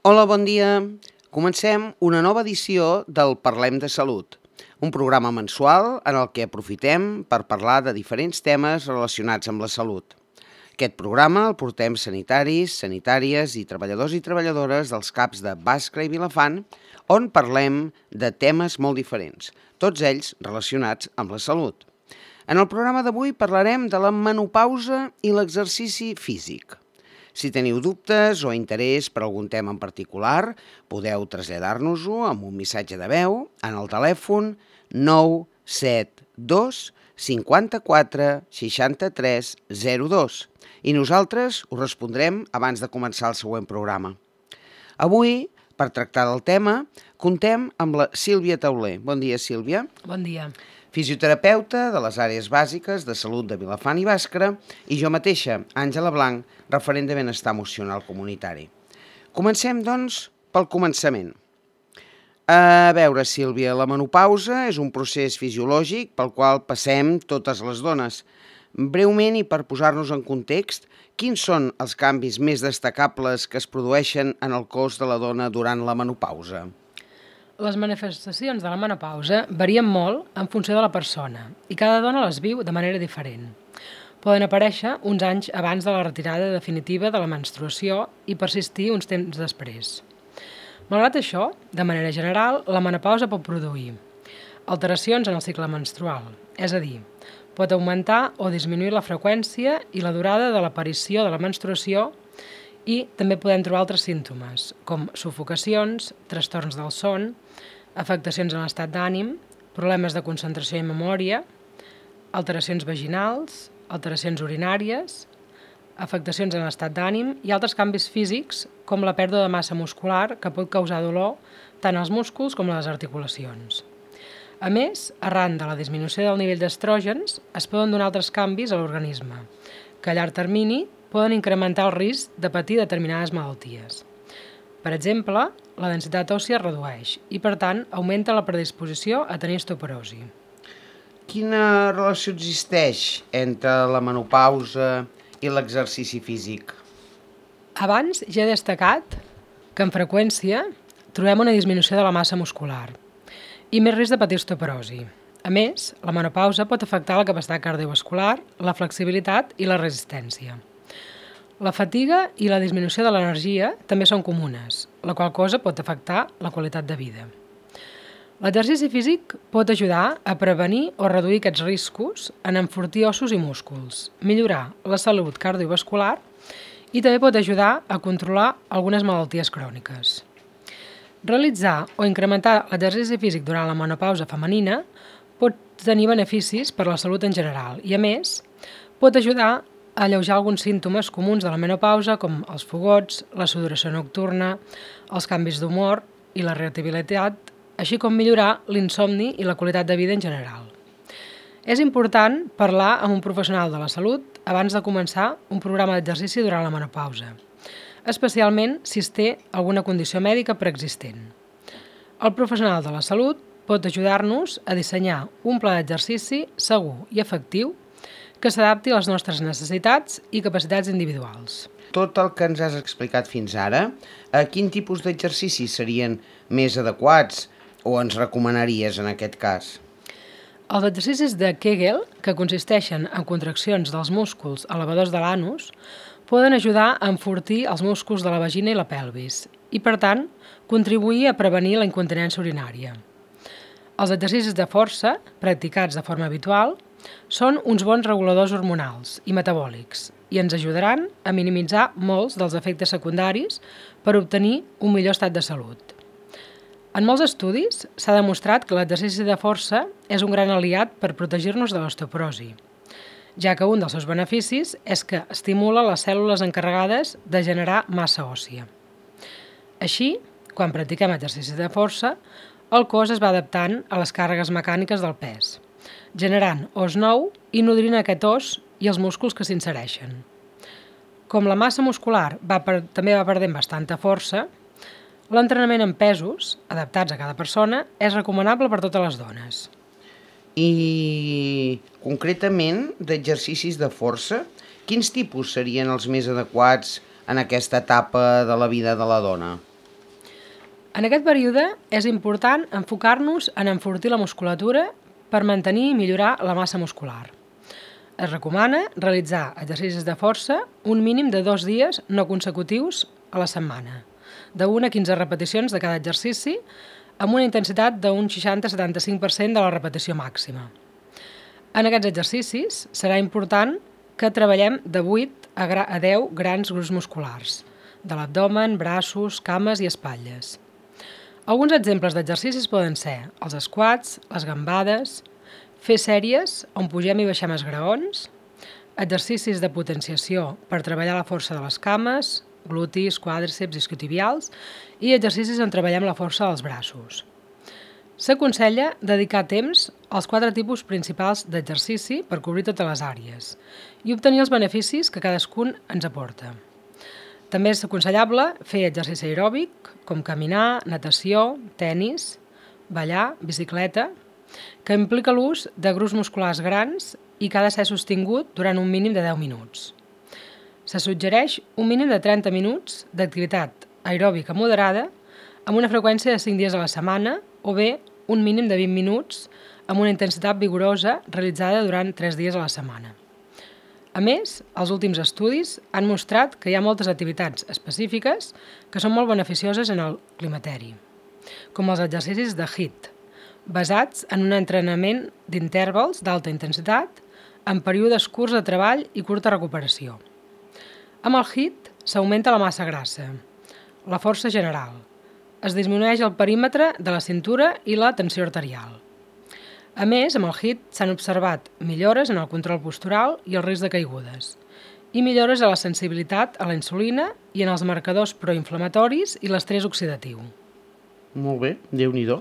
Hola, bon dia. Comencem una nova edició del Parlem de Salut, un programa mensual en el que aprofitem per parlar de diferents temes relacionats amb la salut. Aquest programa el portem sanitaris, sanitàries i treballadors i treballadores dels CAPs de Bàscara i Vilafant, on parlem de temes molt diferents, tots ells relacionats amb la salut. En el programa d'avui parlarem de la menopausa i l'exercici físic. Si teniu dubtes o interès per algun tema en particular, podeu traslladar-nos-ho amb un missatge de veu en el telèfon 972 54 63 02 i nosaltres us respondrem abans de començar el següent programa. Avui, per tractar del tema, contem amb la Sílvia Tauler. Bon dia, Sílvia. Bon dia. Fisioterapeuta de les àrees bàsiques de salut de Vilafant i Bàscara, i jo mateixa, Àngela Blanc, referent de benestar emocional comunitari. Comencem, doncs, pel començament. A veure, Sílvia, la menopausa és un procés fisiològic pel qual passem totes les dones. Breument i per posar-nos en context, quins són els canvis més destacables que es produeixen en el cos de la dona durant la menopausa? Les manifestacions de la menopausa varien molt en funció de la persona i cada dona les viu de manera diferent. Poden aparèixer uns anys abans de la retirada definitiva de la menstruació i persistir uns temps després. Malgrat això, de manera general, la menopausa pot produir alteracions en el cicle menstrual, és a dir, pot augmentar o disminuir la freqüència i la durada de l'aparició de la menstruació i també podem trobar altres símptomes, com sufocacions, trastorns del son, afectacions en l'estat d'ànim, problemes de concentració i memòria, alteracions vaginals, alteracions urinàries, afectacions en l'estat d'ànim i altres canvis físics, com la pèrdua de massa muscular, que pot causar dolor tant als músculs com a les articulacions. A més, arran de la disminució del nivell d'estrògens, es poden donar altres canvis a l'organisme, que a llarg termini poden incrementar el risc de patir determinades malalties. Per exemple, la densitat òssia es redueix i, per tant, augmenta la predisposició a tenir osteoporosi. Quina relació existeix entre la menopausa i l'exercici físic? Abans ja he destacat que amb freqüència trobem una disminució de la massa muscular i més risc de patir osteoporosi. A més, la menopausa pot afectar la capacitat cardiovascular, la flexibilitat i la resistència. La fatiga i la disminució de l'energia també són comunes, la qual cosa pot afectar la qualitat de vida. L'exercici físic pot ajudar a prevenir o reduir aquests riscos en enfortir ossos i músculs, millorar la salut cardiovascular i també pot ajudar a controlar algunes malalties cròniques. Realitzar o incrementar l'exercici físic durant la menopausa femenina pot tenir beneficis per a la salut en general i, a més, pot ajudar a alleujar alguns símptomes comuns de la menopausa com els fogots, la sudoració nocturna, els canvis d'humor i la irritabilitat, així com millorar l'insomni i la qualitat de vida en general. És important parlar amb un professional de la salut abans de començar un programa d'exercici durant la menopausa, especialment si es té alguna condició mèdica preexistent. El professional de la salut pot ajudar-nos a dissenyar un pla d'exercici segur i efectiu que s'adapti a les nostres necessitats i capacitats individuals. Tot el que ens has explicat fins ara, a quin tipus d'exercicis serien més adequats o ens recomanaries en aquest cas? Els exercicis de Kegel, que consisteixen en contraccions dels músculs elevadors de l'anus, poden ajudar a enfortir els músculs de la vagina i la pelvis i, per tant, contribuir a prevenir la incontinència urinària. Els exercicis de força, practicats de forma habitual, són uns bons reguladors hormonals i metabòlics i ens ajudaran a minimitzar molts dels efectes secundaris per obtenir un millor estat de salut. En molts estudis s'ha demostrat que l'exercici de força és un gran aliat per protegir-nos de l'osteoporosi, ja que un dels seus beneficis és que estimula les cèl·lules encarregades de generar massa òssia. Així, quan practiquem exercici de força, el cos es va adaptant a les càrregues mecàniques del pes, generant os nou i nodrint aquest os i els músculs que s'insereixen. Com la massa muscular també va perdent bastanta força, l'entrenament en pesos, adaptats a cada persona, és recomanable per totes les dones. I concretament d'exercicis de força, quins tipus serien els més adequats en aquesta etapa de la vida de la dona? En aquest període és important enfocar-nos en enfortir la musculatura per mantenir i millorar la massa muscular. Es recomana realitzar exercicis de força un mínim de 2 dies no consecutius a la setmana, de 1 a 15 repeticions de cada exercici, amb una intensitat d'un 60-75% de la repetició màxima. En aquests exercicis serà important que treballem de 8 a 10 grans grups musculars, de l'abdomen, braços, cames i espatlles. Alguns exemples d'exercicis poden ser els squats, les gambades, fer sèries on pugem i baixem esgraons, exercicis de potenciació per treballar la força de les cames, glutis, quàdriceps, isquiotibials i exercicis on treballem la força dels braços. S'aconsella dedicar temps als 4 tipus principals d'exercici per cobrir totes les àrees i obtenir els beneficis que cadascun ens aporta. També és aconsellable fer exercici aeròbic, com caminar, natació, tenis, ballar, bicicleta, que implica l'ús de grups musculars grans i que ha de ser sostingut durant un mínim de 10 minuts. Se suggereix un mínim de 30 minuts d'activitat aeròbica moderada amb una freqüència de 5 dies a la setmana o bé un mínim de 20 minuts amb una intensitat vigorosa realitzada durant 3 dies a la setmana. A més, els últims estudis han mostrat que hi ha moltes activitats específiques que són molt beneficioses en el climateri, com els exercicis de HIIT, basats en un entrenament d'intervals d'alta intensitat en períodes curts de treball i curta recuperació. Amb el HIIT s'augmenta la massa grassa, la força general, es disminueix el perímetre de la cintura i la tensió arterial. A més, amb el HIIT s'han observat millores en el control postural i el risc de caigudes, i millores a la sensibilitat a la insulina i en els marcadors proinflamatoris i l'estrès oxidatiu. Molt bé, Déu-n'hi-do.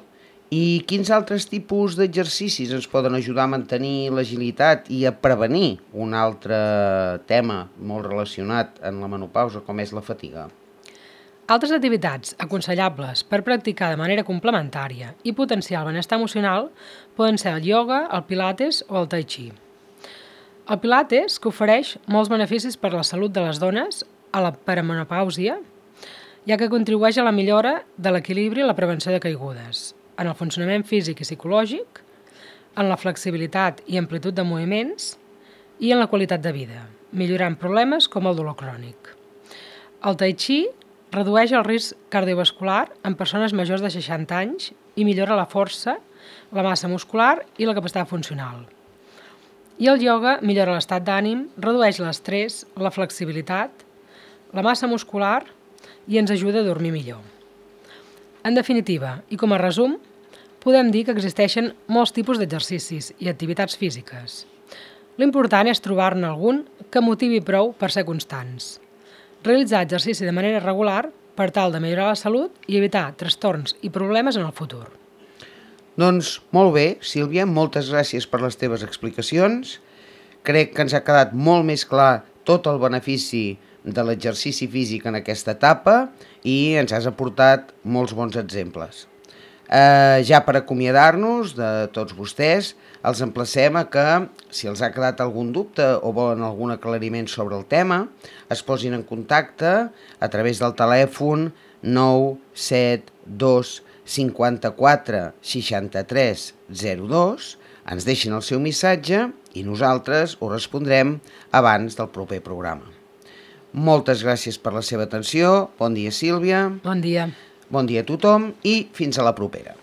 I quins altres tipus d'exercicis ens poden ajudar a mantenir l'agilitat i a prevenir un altre tema molt relacionat en la menopausa, com és la fatiga? Altres activitats aconsellables per practicar de manera complementària i potenciar el benestar emocional poden ser el ioga, el pilates o el tai chi. El pilates, que ofereix molts beneficis per a la salut de les dones a la perimenopàusia, ja que contribueix a la millora de l'equilibri i la prevenció de caigudes, en el funcionament físic i psicològic, en la flexibilitat i amplitud de moviments i en la qualitat de vida, millorant problemes com el dolor crònic. El tai chi redueix el risc cardiovascular en persones majors de 60 anys i millora la força, la massa muscular i la capacitat funcional. I el ioga millora l'estat d'ànim, redueix l'estrès, la flexibilitat, la massa muscular i ens ajuda a dormir millor. En definitiva, i com a resum, podem dir que existeixen molts tipus d'exercicis i activitats físiques. L'important és trobar-ne algun que motivi prou per ser constants. Realitzar exercici de manera regular per tal de millorar la salut i evitar trastorns i problemes en el futur. Doncs molt bé, Sílvia, moltes gràcies per les teves explicacions. Crec que ens ha quedat molt més clar tot el benefici de l'exercici físic en aquesta etapa i ens has aportat molts bons exemples. Ja per acomiadar-nos de tots vostès, els emplacem a que, si els ha quedat algun dubte o volen algun aclariment sobre el tema, es posin en contacte a través del telèfon 972 54 63 02, ens deixin el seu missatge i nosaltres ho respondrem abans del proper programa. Moltes gràcies per la seva atenció. Bon dia, Sílvia. Bon dia. Bon dia a tothom i fins a la propera.